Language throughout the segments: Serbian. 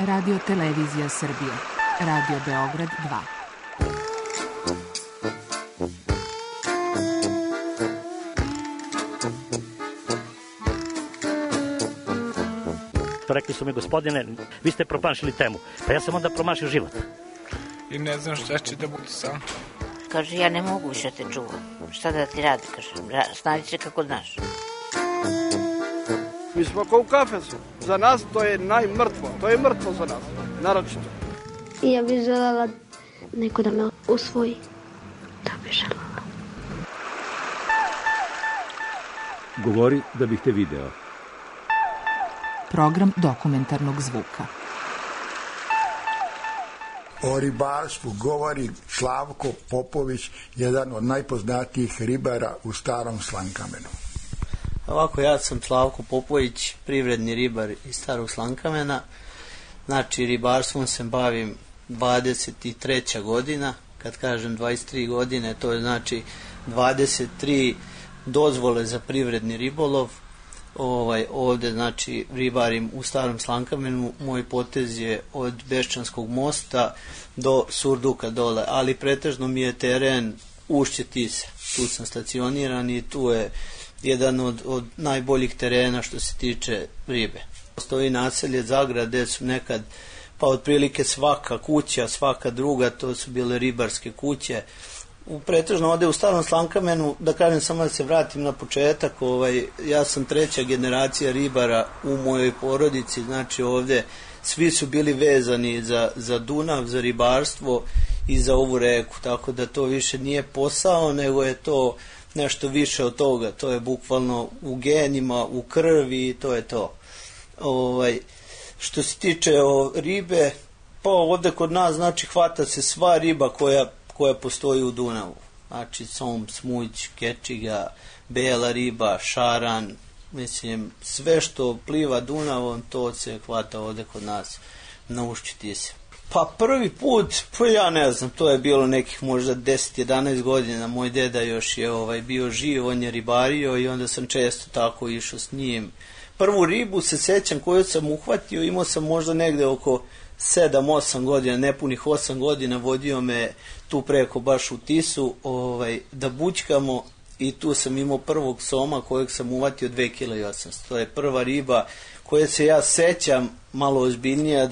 Radio Televizija Srbije. Radio Beograd 2. Rekli su mi, gospodine, vi ste promašili temu. Pa ja sam onda promašio život. I ne znam šta će da bude sam. Kaže, ja ne mogu više te čuvam. Šta da ti radi, kaže, snađi se kako znaš. Mi smo kao u kafesu. Za nas to je najmrtvo. To je mrtvo za nas, naročito. I ja bih želela neko da me usvoji. Da bih želela. Govori da bih te video. Program dokumentarnog zvuka. O ribarstvu govori Slavko Popović, jedan od najpoznatijih ribara u Starom Slankamenu. Ovako, ja sam Slavko Popović, privredni ribar iz Starog Slankamena. Znači, ribarstvom se bavim 23. godina. Kad kažem 23 godine, to je znači 23 dozvole za privredni ribolov. Ovde, znači, ribarim u Starom Slankamenu. Moj potez je od Beščanskog mosta do Surduka dole, ali pretežno mi je teren ušće Tise. Tu sam stacioniran i tu je jedan od najboljih terena što se tiče ribe. Postoji naselje Zagrad gde su nekad, pa otprilike svaka kuća, svaka druga, to su bile ribarske kuće. Pretežno ovde u Starom Slankamenu, da kažem samo da se vratim na početak, ja sam 3. generacija ribara u mojoj porodici, znači ovde svi su bili vezani za Dunav, za ribarstvo i za ovu reku, tako da to više nije posao, nego je to nešto više od toga, to je bukvalno u genima, u krvi i to je to. Što se tiče ribe, pa ovde kod nas, znači, hvata se sva riba koja postoji u Dunavu. Znači, som, smuć, kečiga, bela riba, šaran, mislim, sve što pliva Dunavom, to se hvata ovde kod nas na ušću Tise. Pa prvi put, pa ja ne znam, to je bilo nekih možda 10-11 godina, moj deda još je bio živ, on je ribario i onda sam često tako išao s njim. Prvu ribu se sećam koju sam uhvatio, imao sam možda negde oko 7-8 godina, nepunih 8 godina, vodio me tu preko baš u Tisu da bućkamo i tu sam imao prvog soma kojeg sam uvatio 2,8 kg. To je prva riba koja se ja sećam malo ozbiljnija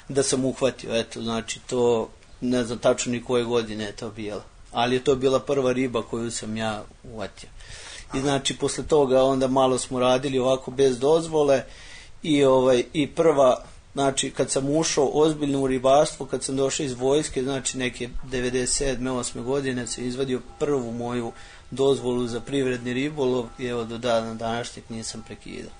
da sam uhvatio. Eto, znači to ne znam tačno ni koje godine je to bila, ali je to bila prva riba koju sam ja uvatio. I znači posle toga onda malo smo radili ovako bez dozvole i prva, znači kad sam ušao ozbiljno u ribarstvo, kad sam došao iz vojske, znači neke 97. 8. godine sam izvadio prvu moju dozvolu za privredni ribolov i evo do dana današnjeg nisam prekidao.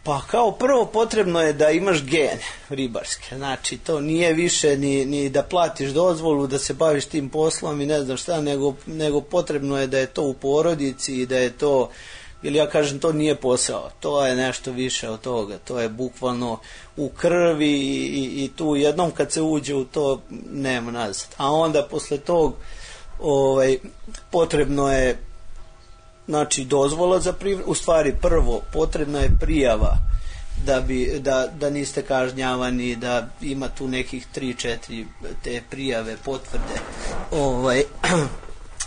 Pa kao prvo potrebno je da imaš gene ribarske, znači to nije više ni da platiš dozvolu, da se baviš tim poslom i ne znam šta, nego potrebno je da je to u porodici i da je to, ili ja kažem to nije posao, to je nešto više od toga, to je bukvalno u krvi i tu jednom kad se uđe u to nema nazad. A onda posle tog potrebno je, znači, dozvola za u stvari prvo potrebna je prijava da niste kažnjavani, da ima tu nekih 3-4 te prijave, potvrde.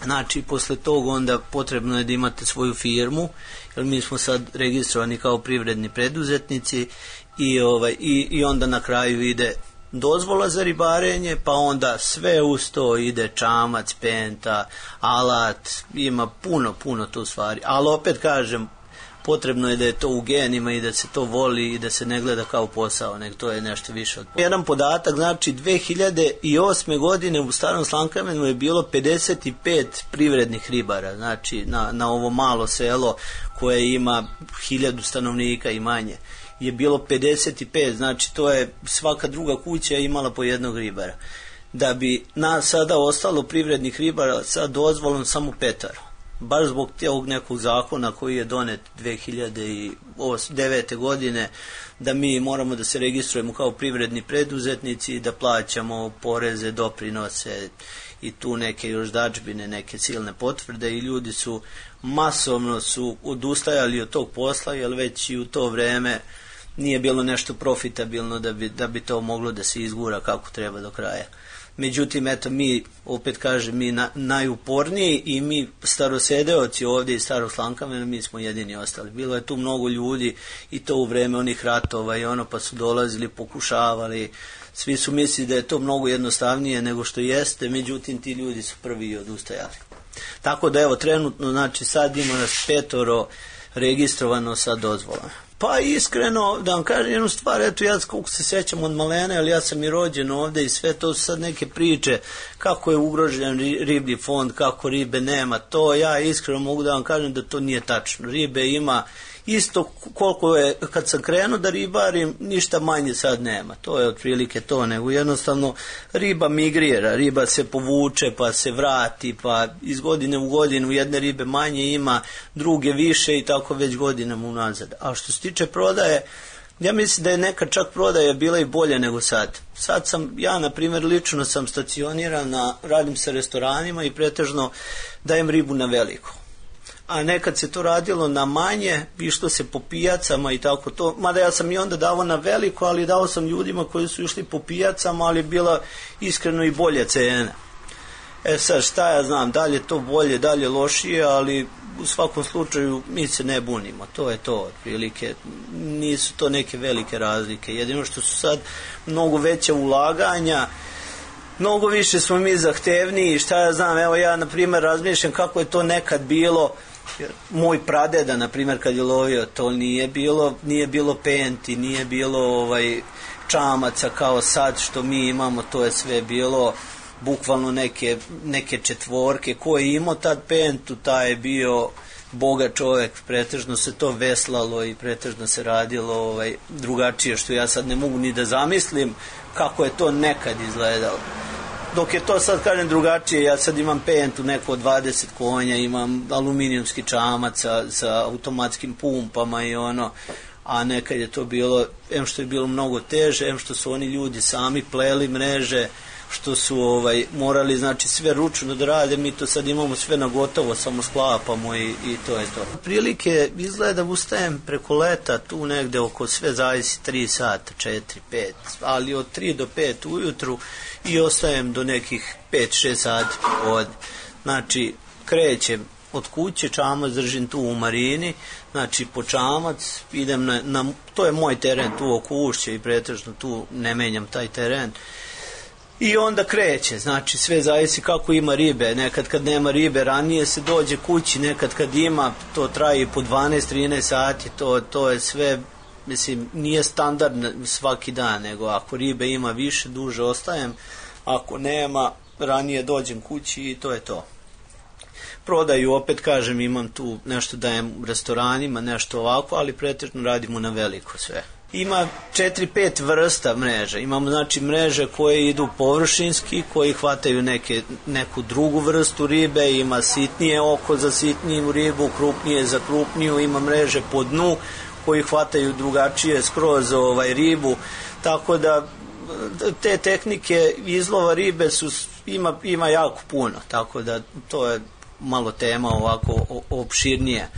Znači, posle tog onda potrebno je da imate svoju firmu, jer mi smo sad registrovani kao privredni preduzetnici i onda na kraju ide dozvola za ribarenje, pa onda sve uz to ide čamac, penta, alat, ima puno tu stvari, ali opet kažem, potrebno je da je to u genima i da se to voli i da se ne gleda kao posao, nego to je nešto više od posao. Jedan podatak, znači 2008. godine u Starom Slankamenu je bilo 55 privrednih ribara, znači na ovo malo selo koje ima 1000 stanovnika i manje je bilo 55, znači to je svaka druga kuća imala po jednog ribara. Da bi nas sada ostalo privrednih ribara sa dozvolom samo 5. Baš zbog tog nekog zakona koji je donet 2009. godine, da mi moramo da se registrujemo kao privredni preduzetnici i da plaćamo poreze, doprinose i tu neke još dačbine, neke silne potvrde i ljudi masovno su odustajali od tog posla, jer već i u to vreme nije bilo nešto profitabilno da bi to moglo da se izgura kako treba do kraja. Međutim, eto, mi, opet kažem, mi najuporniji i mi starosedeoci ovdje iz Starog Slankamena, mi smo jedini ostali. Bilo je tu mnogo ljudi i to u vreme onih ratova i pa su dolazili, pokušavali, svi su mislili da je to mnogo jednostavnije nego što jeste, međutim, ti ljudi su prvi i odustajali. Tako da, evo, trenutno, znači, sad ima nas 5 registrovano sa dozvolama. Pa iskreno, da vam kažem jednu stvar, eto ja kako se sećam od malene, ali ja sam i rođen ovde i sve to su sad neke priče kako je ugrožen riblji fond, kako ribe nema, to ja iskreno mogu da vam kažem da to nije tačno. Ribe ima isto koliko je, kad sam krenuo da ribarim, ništa manje sad nema. To je otprilike to, nego jednostavno riba migrira, riba se povuče pa se vrati, pa iz godine u godinu jedne ribe manje ima, druge više i tako već godinama unazad. A što se tiče prodaje, ja mislim da je neka čak prodaja bila i bolje nego sad. Sad sam, ja na primjer lično sam stacioniran, radim sa restoranima i pretežno dajem ribu na veliko. A nekad se to radilo na manje, išlo se po pijacama i tako to, mada ja sam i onda davao na veliko, ali dao sam ljudima koji su išli po pijacama, ali bila iskreno i bolje cena. Sad šta ja znam, dalje to bolje, dalje lošije, ali u svakom slučaju mi se ne bunimo, to je to otprilike, nisu to neke velike razlike, jedino što su sad mnogo veća ulaganja, mnogo više smo mi zahtevniji, šta ja znam, evo ja na primjer razmišljam kako je to nekad bilo, moj pradeda na primjer kad je lovio, to nije bilo penti, nije bilo čamaca kao sad što mi imamo, to je sve bilo bukvalno neke četvorke, ko je imao tad pentu, taj je bio bogat čovjek, pretežno se to veslalo i pretežno se radilo drugačije, što ja sad ne mogu ni da zamislim kako je to nekad izgledalo. Dok je to sad, kažem, drugačije, ja sad imam pentu neko od 20 konja, imam aluminijumski čamac sa automatskim pumpama i a nekad je to bilo, em što je bilo mnogo teže, em što su oni ljudi sami pleli mreže, što su morali, znači, sve ručno da rade, mi to sad imamo sve na gotovo, samo sklapamo i to je to. Prilike izgleda ustajem preko leta, tu negde oko, sve zavisi 3 sata, 4, 5, ali od 3 do 5 ujutru i ostajem do nekih 5-6 sati popodne. Znači, krećem od kuće, čamac držim tu u marini, znači po čamac idem to je moj teren tu oko Ušća i pretežno tu ne menjam taj teren. I onda kreće, znači sve zavisi kako ima ribe, nekad kad nema ribe ranije se dođe kući, nekad kad ima to traje i po 12-13 sati, to je sve, mislim, nije standard svaki dan, nego ako ribe ima više, duže ostajem, ako nema, ranije dođem kući i to je to. Prodaju, opet kažem, imam tu nešto dajem u restoranima, nešto ovako, ali pretežno radimo na veliko sve. Ima 4-5 vrsta mreža. Imamo, znači, mreže koje idu površinski, koji hvataju neku drugu vrstu ribe, ima sitnije oko za sitniju ribu, krupnije za krupniju, ima mreže po dnu koji hvataju drugačije skroz ribu, tako da te tehnike izlova ribe ima jako puno, tako da to je malo tema ovako opširnije.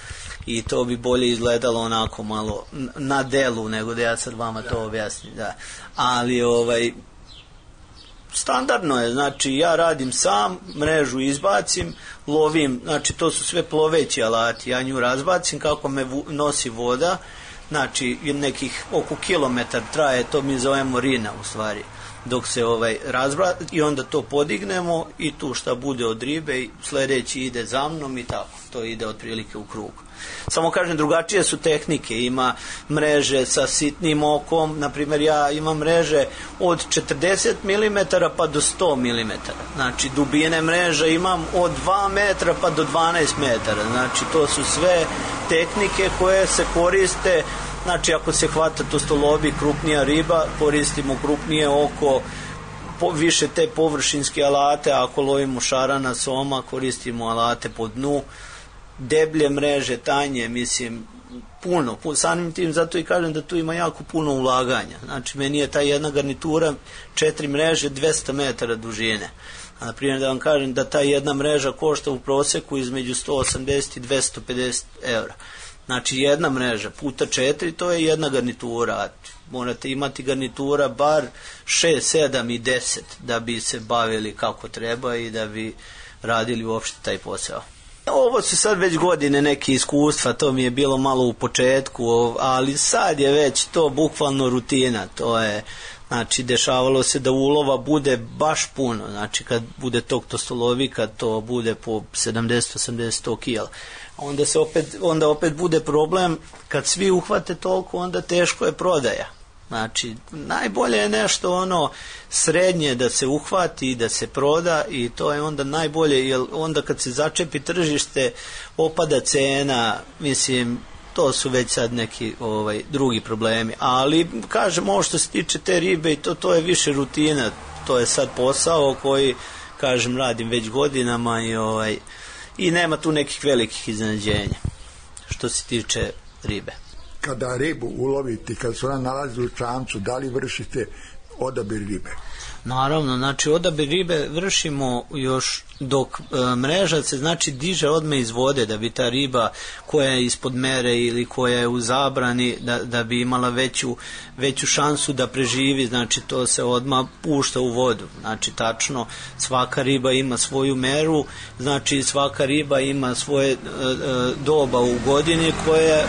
I to bi bolje izgledalo onako malo na delu nego da ja sad vama to objasnim. Da. Ali standardno je, znači ja radim sam, mrežu izbacim, lovim, znači to su sve ploveći alati, ja nju razbacim kako me nosi voda, znači nekih oko kilometar traje, to mi zovemo rina u stvari, dok se razbaci i onda to podignemo i tu šta bude od ribe i sledeći ide za mnom i tako, to ide otprilike u krug. Samo kažem, drugačije su tehnike, ima mreže sa sitnim okom, na primjer ja imam mreže od 40 mm pa do 100 mm, znači dubine mreža imam od 2 metra pa do 12 metara, znači to su sve tehnike koje se koriste, znači ako se hvata to što lobi krupnija riba, koristimo krupnije oko, više te površinske alate, ako lovimo šarana, soma, koristimo alate po dnu, deblje mreže, tanje, mislim, puno, samim tim, zato i kažem da tu ima jako puno ulaganja. Znači, meni je ta jedna garnitura 4 mreže 200 metara dužine. A na primjer da vam kažem da ta jedna mreža košta u proseku između 180 i 250 eura. Znači jedna mreža puta 4, to je jedna garnitura. Morate imati garnitura bar 6, 7 i 10 da bi se bavili kako treba i da bi radili uopšte taj posao. Ovo su sad već godine neke iskustva, to mi je bilo malo u početku, ali sad je već to bukvalno rutina. To je, znači, dešavalo se da ulova bude baš puno, znači kad bude tog tostolovika, to bude po 70, 80, 100 kila. Onda opet bude problem, kad svi uhvate toliko, onda teško je prodaja. Znači, najbolje je nešto srednje da se uhvati i da se proda i to je onda najbolje, jer onda kad se začepi tržište, opada cena, mislim, to su već sad neki drugi problemi. Ali, kažem, ovo što se tiče te ribe, to je više rutina, to je sad posao koji, kažem, radim već godinama i nema tu nekih velikih iznenađenja što se tiče ribe. Kada ribu ulovite, kada se ona nalazi u čamcu, da li vršite odabir ribe? Naravno, znači odabir ribe vršimo još dok mreža se, znači, diže odmah iz vode, da bi ta riba koja je ispod mere ili koja je u zabrani, da bi imala veću šansu da preživi, znači to se odmah pušta u vodu. Znači, tačno, svaka riba ima svoju meru, znači svaka riba ima svoje doba u godini koje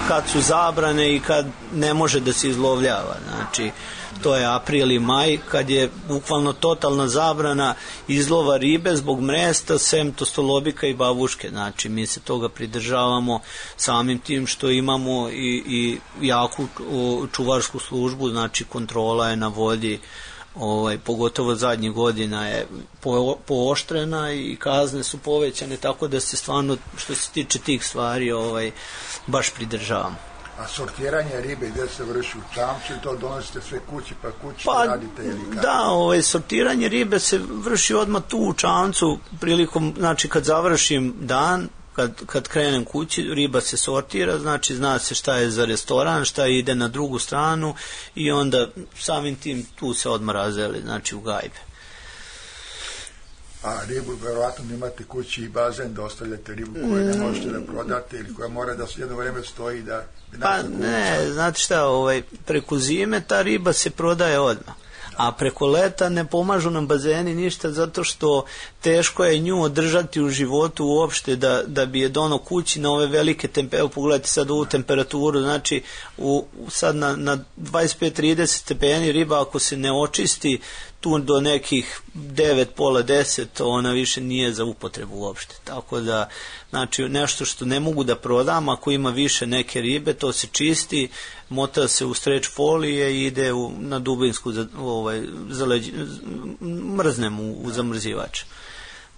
kad su zabrane i kad ne može da se izlovljava. Znači, to je april i maj, kad je bukvalno totalna zabrana izlova ribe zbog mresta, sem tostolobika i babuške. Znači, mi se toga pridržavamo samim tim što imamo i jaku čuvarsku službu, znači kontrola je na vodi, pogotovo zadnjih godina je pooštrena i kazne su povećane, tako da se stvarno, što se tiče tih stvari, baš pridržavamo. A sortiranje ribe gdje se vrši u čamcu i to donosite sve kući pa kući radite ili kako? Da, sortiranje ribe se vrši odmah tu u čamcu prilikom, znači kad završim dan, kad krenem kući, riba se sortira, znači zna se šta je za restoran, šta ide na drugu stranu i onda samim tim tu se odmah razdeli, znači u gajbe. A ribu, verovatno imate kući i bazen da ostavljate ribu koju ne možete da prodate ili koja mora da jedno vreme stoji da... Pa ne, znate šta, preko zime ta riba se prodaje odmah, a preko leta ne pomažu nam bazeni ništa zato što teško je nju održati u životu uopšte da bi je dono kući na ove velike temperature. Pogledajte sad ovu temperaturu, znači sad na 25-30 stepeni riba ako se ne očisti tu do nekih 9, pola 10, ona više nije za upotrebu uopšte. Tako da, znači, nešto što ne mogu da prodam, ako ima više neke ribe, to se čisti, mota se u streč folije i ide na dubinsku, mrznem u zamrzivač.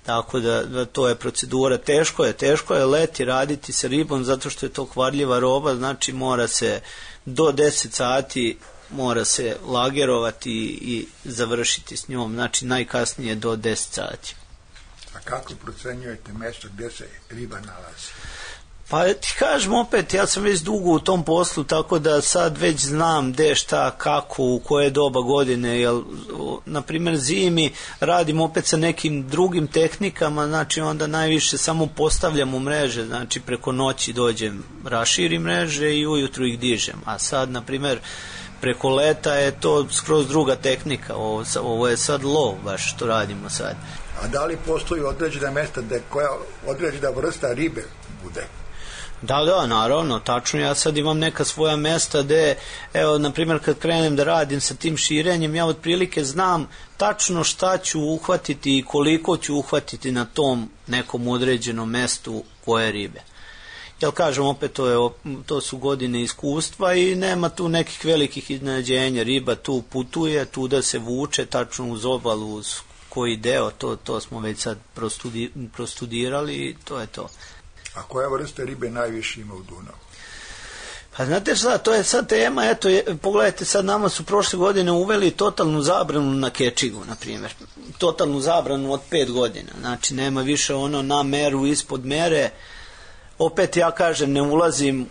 Tako da to je procedura. Teško je leti raditi sa ribom zato što je to kvarljiva roba, znači mora se do 10 sati mora se lagerovati i završiti s njom, znači najkasnije do 10 sati. A kako procenjujete mjesto gdje se riba nalazi? Pa ti kažem opet, ja sam već dugo u tom poslu, tako da sad već znam gde, šta, kako, u koje doba godine, jer na primjer zimi radim opet sa nekim drugim tehnikama, znači onda najviše samo postavljam u mreže, znači preko noći dođem, raširim mreže i ujutru ih dižem, a sad na primjer preko leta je to skroz druga tehnika, ovo je sad lov baš što radimo sad. A da li postoji određena mjesta koja određena vrsta ribe bude? Da, naravno, tačno, ja sad imam neka svoja mesta gde, evo, na primjer, kad krenem da radim sa tim širenjem, ja otprilike znam tačno šta ću uhvatiti i koliko ću uhvatiti na tom nekom određenom mestu koje ribe. Jel kažem, opet to su godine iskustva i nema tu nekih velikih iznenađenja, riba tu putuje, tu da se vuče tačno uz obalu, uz koji deo, to smo već sad prostudirali i to je to. A koja vrsta ribe najviše ima u Dunavu? Pa znate šta, to je sad tema, eto, pogledajte sad, nama su prošle godine uveli totalnu zabranu na kečigu, na primjer. Totalnu zabranu od 5 godina, znači nema više na meru, ispod mere. Opet ja kažem, ne ulazim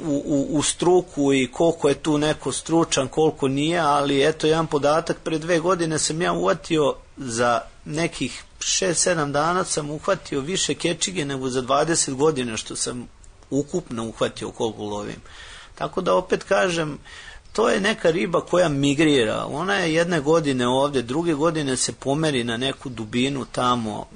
u struku i koliko je tu neko stručan, koliko nije, ali eto jedan podatak, pre 2 godine sam ja uhvatio za nekih 6-7 dana sam uhvatio više kečige nego za 20 godina što sam ukupno uhvatio koliko lovim. Tako da opet kažem, to je neka riba koja migrira. Ona je jedne godine ovde, druge godine se pomeri na neku dubinu tamo.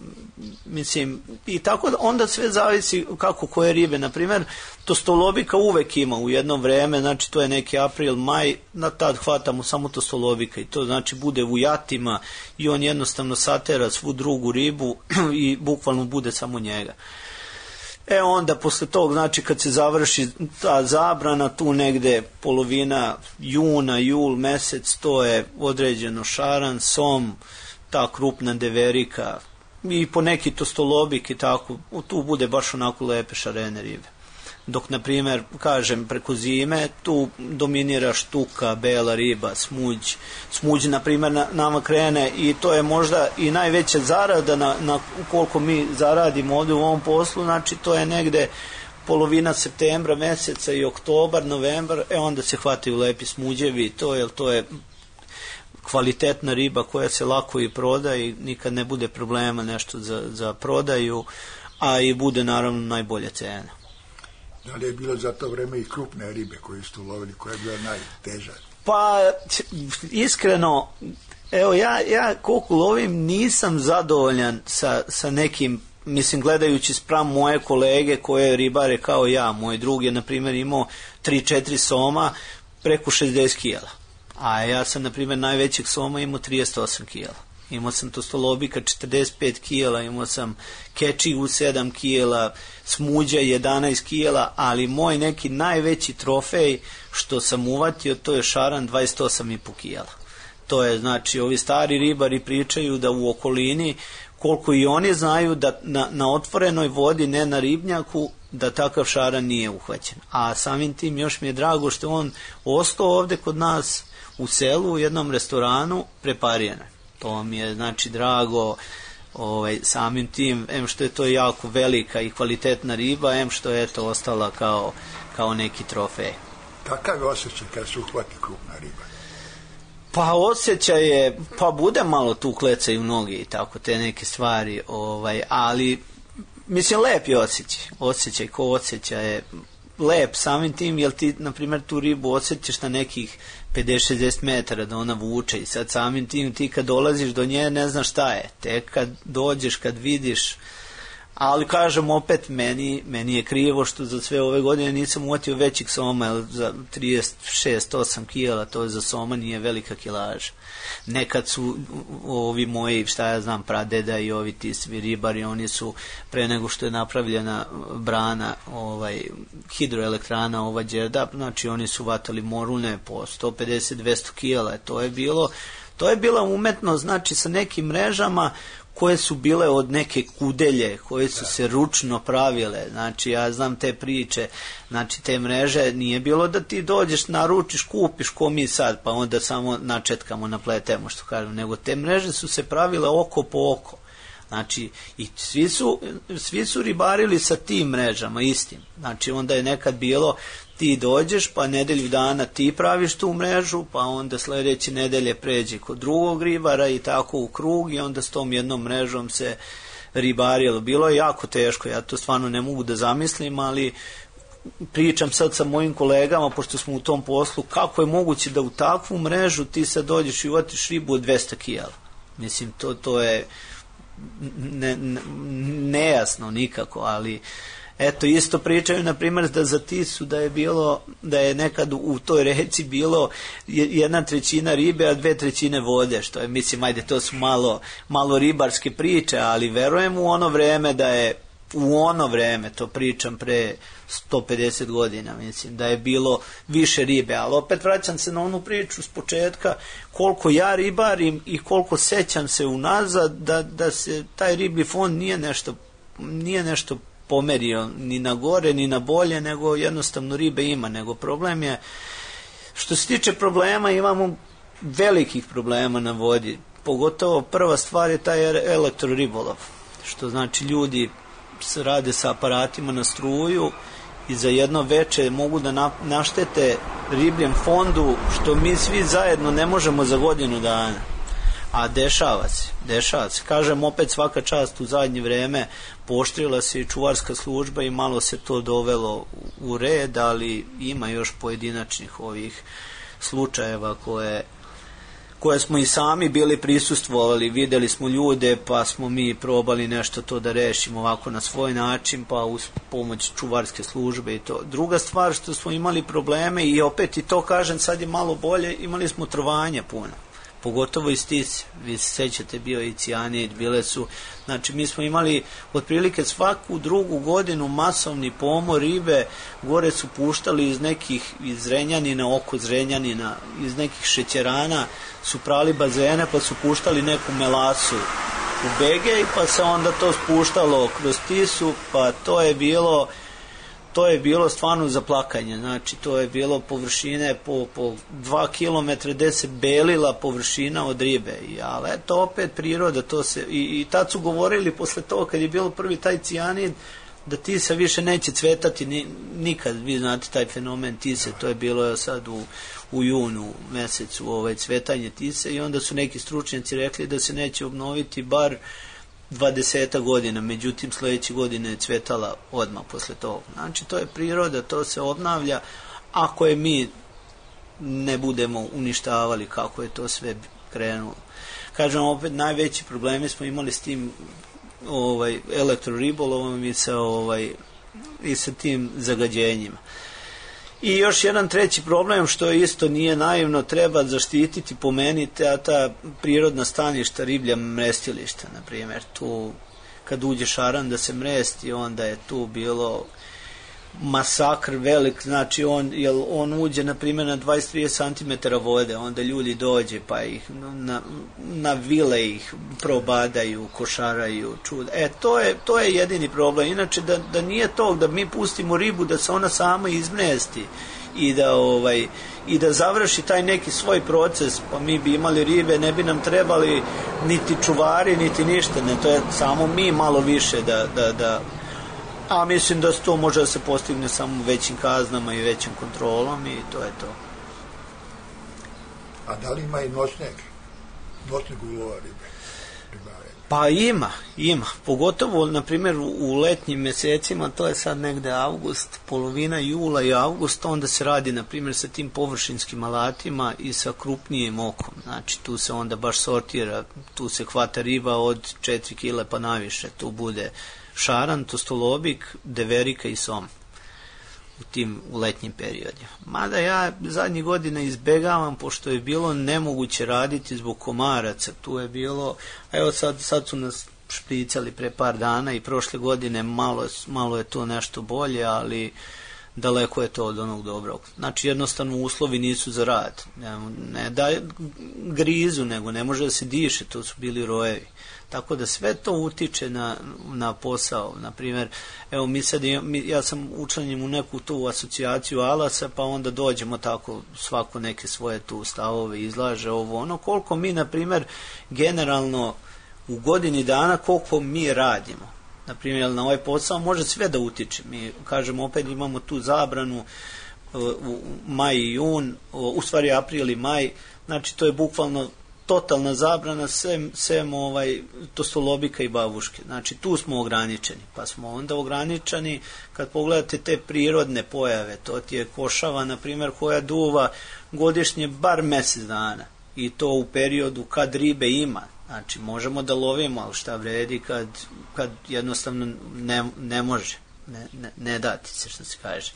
Mislim, i tako da onda sve zavisi kako koje ribe. Naprimjer, tostolobika uvek ima u jedno vreme, znači to je neki april, maj, na tad hvatamo samo tostolobika i to znači bude u jatima i on jednostavno satera svu drugu ribu i bukvalno bude samo njega. Onda posle tog, znači kad se završi ta zabrana, tu negde polovina juna, jul mesec, to je određeno šaran, som, ta krupna deverika i po neki tostolobik i tako, tu bude baš onako lepe šarene ribe. Dok, na primjer, kažem, preko zime, tu dominira štuka, bela riba, smuđ, na primjer, nama krene i to je možda i najveća zarada na koliko mi zaradimo ovdje u ovom poslu, znači to je negde polovina septembra meseca i oktobar, novembar, onda se hvataju lepi smuđevi, to je kvalitetna riba koja se lako i proda i nikad ne bude problema nešto za prodaju, a i bude naravno najbolja cena. Da li je bilo za to vreme i krupne ribe koje ste ulovili, koja je bila najteža? Pa, iskreno, evo ja koliko lovim nisam zadovoljan sa nekim, mislim, gledajući spram moje kolege koje ribare kao ja. Moj drug je, na primjer, imao 3-4 soma preko 60 kila. A ja sam, na primjer, najvećeg soma imao 38 kila. Imao sam tostolobika 45 kila, imao sam kečigu 7 kila, smuđa 11 kila, ali moj neki najveći trofej što sam uvatio, to je šaran 28,5 kila. To je, znači, ovi stari ribari pričaju da u okolini, koliko i oni znaju da na otvorenoj vodi, ne na ribnjaku, da takav šaran nije uhvaćen. A samim tim još mi je drago što on ostao ovde kod nas u selu u jednom restoranu prepariran. To mi je, znači, drago samim tim, što je to jako velika i kvalitetna riba, što je to ostala kao neki trofej. Kakav je osjećaj kad se uhvati krupna riba? Pa osjećaj je, pa bude malo tu klecaju noge i tako, te neke stvari, ali mislim, lep je osjećaj ko osjećaj je lep samim tim, jer ti, na primjer, tu ribu osjećaš na nekih 50-60 metara da ona vuče i sad samim tim ti kad dolaziš do nje ne znaš šta je, tek kad dođeš, kad vidiš, ali kažem opet, meni je krivo što za sve ove godine nisam uvatio većih soma, jer za 36-8 kila, to za soma nije velika kilaža. Nekad su ovi moji, šta ja znam, pradeda i ovi ti svi ribari, oni su pre nego što je napravljena brana, hidroelektrana ova Đerdap, znači oni su vatali morune po 150-200 kila, to je bila umetnost, znači sa nekim mrežama koje su bile od neke kudelje, koje su se ručno pravile, znači ja znam te priče, znači te mreže, nije bilo da ti dođeš, naručiš, kupiš ko mi sad, pa onda samo načetkamo, napletemo, što kažem, nego te mreže su se pravile oko po oko, znači i svi su ribarili sa tim mrežama istim, znači onda je nekad bilo ti dođeš, pa nedelju dana ti praviš tu mrežu, pa onda sledeće nedelje pređe kod drugog ribara i tako u krug i onda s tom jednom mrežom se ribarilo. Bilo je jako teško, ja to stvarno ne mogu da zamislim, ali pričam sad sa mojim kolegama, pošto smo u tom poslu, kako je moguće da u takvu mrežu ti sad dođeš i uvatiš ribu od 200 kila. Mislim, to je nejasno nikako, ali eto, isto pričaju, na primjer, da za Tisu da je nekad u toj reci bilo 1/3 ribe, a 2/3 vode, što je, mislim, ajde, to su malo ribarske priče, ali verujem u ono vreme, to pričam pre 150 godina, mislim, da je bilo više ribe, ali opet vraćam se na onu priču s početka, koliko ja ribarim i koliko sećam se unazad da se taj riblji fond nije nešto pomerio ni na gore ni na bolje, nego jednostavno ribe ima, nego problem je, što se tiče problema, imamo velikih problema na vodi, pogotovo prva stvar je taj elektroribolov, što znači ljudi se rade sa aparatima na struju i za jedno veče mogu da naštete ribljem fondu, što mi svi zajedno ne možemo za godinu dana. A dešava se. Kažem, opet svaka čast u zadnje vreme pooštrila se i čuvarska služba i malo se to dovelo u red, ali ima još pojedinačnih ovih slučajeva koje smo i sami bili prisustvovali, videli smo ljude pa smo mi probali nešto to da rešimo ovako na svoj način, pa uz pomoć čuvarske službe i to. Druga stvar što smo imali probleme, i opet i to kažem sad je malo bolje, imali smo trovanja puno, pogotovo iz Tise. Vi se sećate, bio i cijanid, bile su, znači mi smo imali otprilike svaku drugu godinu masovni pomor ribe, gore su puštali iz Zrenjanina, oko Zrenjanina, iz nekih šećerana su prali bazene, pa su puštali neku melasu u Begej, pa se onda to spuštalo kroz Tisu, pa to je bilo stvarno za plakanje. Znači to je bilo površine po 2 kilometra gde se belila površina od ribe, ali eto opet priroda, to se i tad su govorili posle toga kad je bilo prvi taj cijanid da Tisa više neće cvetati nikad. Vi znate taj fenomen Tise, to je bilo sad u junu mesecu cvetanje Tise, i onda su neki stručnjaci rekli da se neće obnoviti bar 20 godina, međutim sledeće godine je cvetala odmah posle toga. Znači to je priroda, to se obnavlja ako je mi ne budemo uništavali kako je to sve krenulo. Kažem, opet najveći problemi smo imali s tim elektroribolovom i sa tim zagađenjima. I još jedan treći problem, što isto nije naivno, treba zaštititi po meni ta prirodna staništa, riblja mrestilišta, na primjer. Tu kad uđe šaran da se mresti, onda je tu bilo masakr velik, znači on uđe na primjer na 20-30 cm vode, onda ljudi dođe pa ih na vile ih probadaju, košaraju, čuda. To je jedini problem. Inače da nije to da mi pustimo ribu da se ona sama izmresti i da završi taj neki svoj proces, pa mi bi imali ribe, ne bi nam trebali niti čuvari, niti ništa, ne, to je samo mi malo više a mislim da to može da se postigne samo većim kaznama i većim kontrolom, i to je to. A da li ima i noćnog ulova ribe? Pa ima. Pogotovo, na primjer, u letnjim mesecima, to je sad negde avgust, polovina jula i avgust, onda se radi, na primjer, sa tim površinskim alatima i sa krupnijim okom. Znači, tu se onda baš sortira, tu se hvata riba od 4 kile pa naviše. Tu bude šaran, tostolobik, deverika i som u letnjim periodima. Mada ja zadnjih godina izbegavam, pošto je bilo nemoguće raditi zbog komaraca. Tu je bilo, evo sad su nas špricali pre par dana i prošle godine malo je to nešto bolje, ali daleko je to od onog dobrog. Znači jednostavno uslovi nisu za rad. Ne da grizu, nego ne može da se diše, to su bili rojevi. Tako da sve to utiče na posao. Naprimjer, evo ja sam učlanjen u neku tu asocijaciju alasa, pa onda dođemo tako svako neke svoje tu stavove izlaže koliko mi, naprimjer, generalno u godini dana koliko mi radimo. Naprimjer, na ovaj posao može sve da utiče. Mi, kažemo, opet imamo tu zabranu u maj i jun, u stvari april i maj, znači to je bukvalno totalna zabrana sem tostolobika i babuške. Znači tu smo ograničeni, pa smo onda ograničeni kad pogledate te prirodne pojave, to ti je košava, na primjer, koja duva godišnje bar mesec dana, i to u periodu kad ribe ima. Znači možemo da lovimo, ali šta vredi kad jednostavno ne može, ne dati se, što se kaže.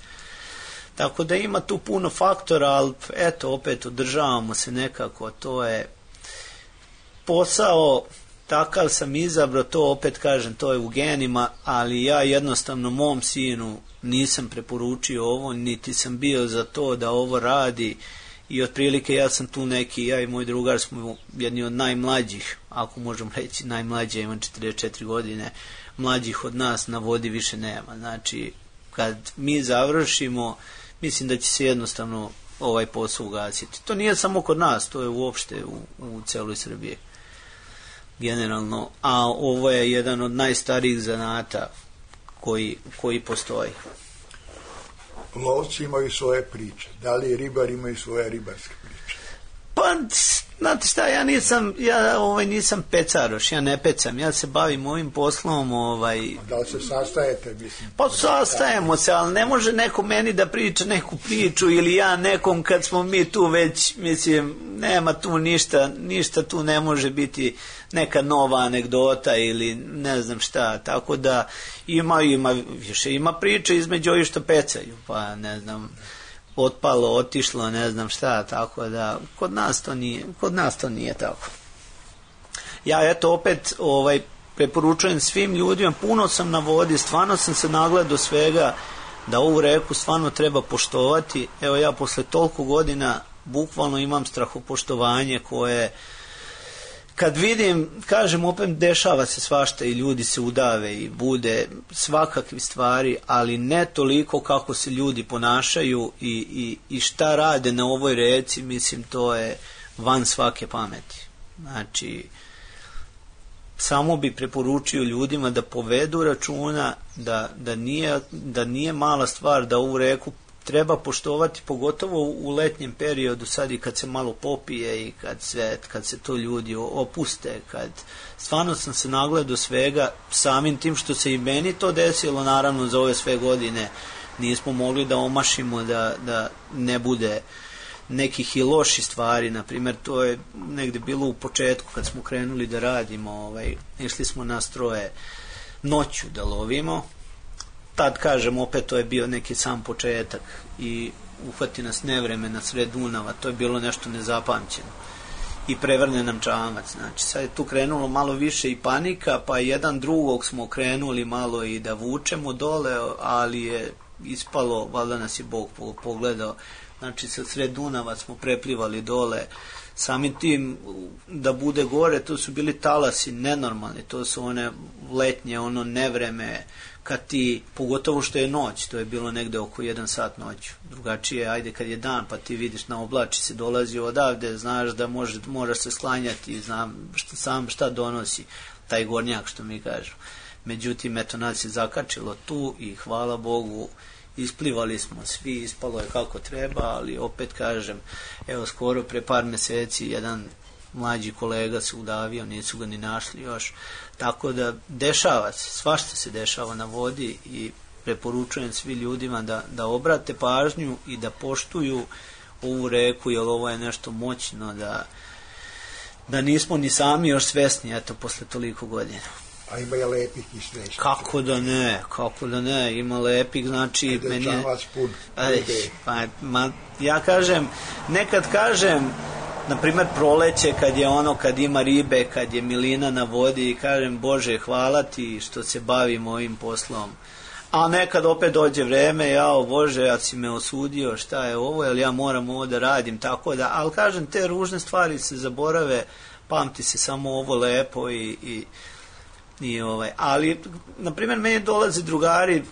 Tako da ima tu puno faktora, ali eto, opet održavamo se nekako, to je posao, takav sam izabrao, to opet kažem, to je u genima, ali ja jednostavno mom sinu nisam preporučio ovo, niti sam bio za to da ovo radi, i otprilike ja sam tu neki, ja i moj drugar smo jedni od najmlađih, ako možemo reći najmlađi, imam 44 godine, mlađih od nas na vodi više nema. Znači, kad mi završimo, mislim da će se jednostavno ovaj posao ugasiti. To nije samo kod nas, to je uopšte u celoj Srbiji generalno, a ovo je jedan od najstarijih zanata koji postoji. Lovci imaju svoje priče. Da li ribari imaju svoje ribarske priče? Pa Znate šta, ja nisam pecaroš, ja ne pecam, ja se bavim ovim poslom. Da li se sastajete, mislim? Pa sastajemo se, ali ne može neko meni da priča neku priču ili ja nekom kad smo mi tu već, mislim, nema tu ništa tu ne može biti neka nova anegdota ili ne znam šta, tako da ima priče između ovih što pecaju, pa ne znam, otpalo, otišlo, ne znam šta, tako da kod nas to nije tako. Ja eto opet preporučujem svim ljudima, puno sam na vodi, stvarno sam se nagledao svega da ovu reku stvarno treba poštovati. Evo ja posle toliko godina bukvalno imam strahopoštovanje koje kad vidim, kažem opet, dešava se svašta i ljudi se udave i bude svakakvi stvari, ali ne toliko kako se ljudi ponašaju i šta rade na ovoj reci, mislim, to je van svake pameti. Znači, samo bi preporučio ljudima da povedu računa, da nije mala stvar da ovu reku treba poštovati, pogotovo u letnjem periodu, sad i kad se malo popije i kad se to ljudi opuste, kad stvarno sam se nagledao svega, samim tim što se i meni to desilo, naravno za ove sve godine nismo mogli da omašimo, da ne bude nekih i loših stvari. Na primjer, to je negde bilo u početku kad smo krenuli da radimo, išli smo na stroje noću da lovimo. Tad, kažem, opet to je bio neki sam početak i uhvati nas nevreme na sred Dunava, to je bilo nešto nezapamćeno i prevrne nam čamac. Znači, sad je tu krenulo malo više i panika, pa jedan drugog smo krenuli malo i da vučemo dole, ali je ispalo, valjda nas je Bog pogledao, znači sa sred Dunava smo preplivali dole, samim tim da bude gore, to su bili talasi nenormalni, to su one letnje, ono nevreme, kad ti, pogotovo što je noć, to je bilo negde oko 1 sat noću, drugačije, ajde kad je dan pa ti vidiš na oblači se dolazi odavde, znaš da moraš se sklanjati, znam šta donosi taj gornjak što mi kažu. Međutim, eto, nas je zakačilo tu i hvala Bogu isplivali smo svi, ispalo je kako treba, ali opet kažem, evo skoro pre par meseci jedan mlađi kolega se udavio, nisu ga ni našli još, tako da dešava se, svašta se dešava na vodi i preporučujem svi ljudima da obrate pažnju i da poštuju ovu reku, jer ovo je nešto moćno, da nismo ni sami još svesni, eto, posle toliko godina. A ima je lepih i srećnih. Kako da ne, ima lepih, znači meni je... Ja kažem, nekad kažem, na primjer proleće, kad ima ribe, kad je milina na vodi, i kažem, Bože, hvala ti što se bavim ovim poslom. A nekad opet dođe vreme, jao Bože, ja si me osudio, šta je ovo, jer ja moram ovo da radim, tako da, ali kažem, te ružne stvari se zaborave, pamti se samo ovo lepo ali, na primjer, meni dolaze drugari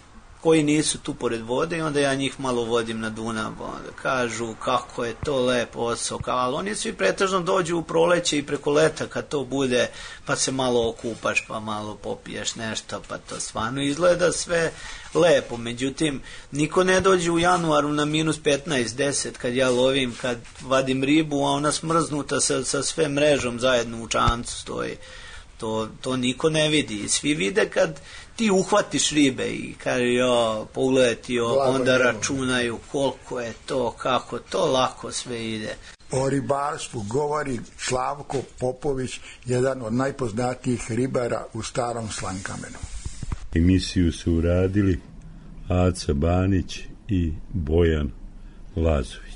koji nisu tu pored vode i onda ja njih malo vodim na Dunav, onda kažu kako je to lep posao, ali oni svi pretežno dođu u proleće i preko leta kad to bude, pa se malo okupaš, pa malo popiješ nešto, pa to stvarno izgleda sve lepo. Međutim, niko ne dođe u januaru na minus 15, 10 kad ja lovim, kad vadim ribu, a ona smrznuta sa sve mrežom zajedno u čamcu stoji. To niko ne vidi i svi vide kad ti uhvatiš ribe i kaže pogledaj ti onda računaju koliko je to, kako to lako sve ide. O ribarstvu govori Slavko Popović, jedan od najpoznatijih ribara u Starom Slankamenu. Emisiju su uradili Aca Banić i Bojan Lazović.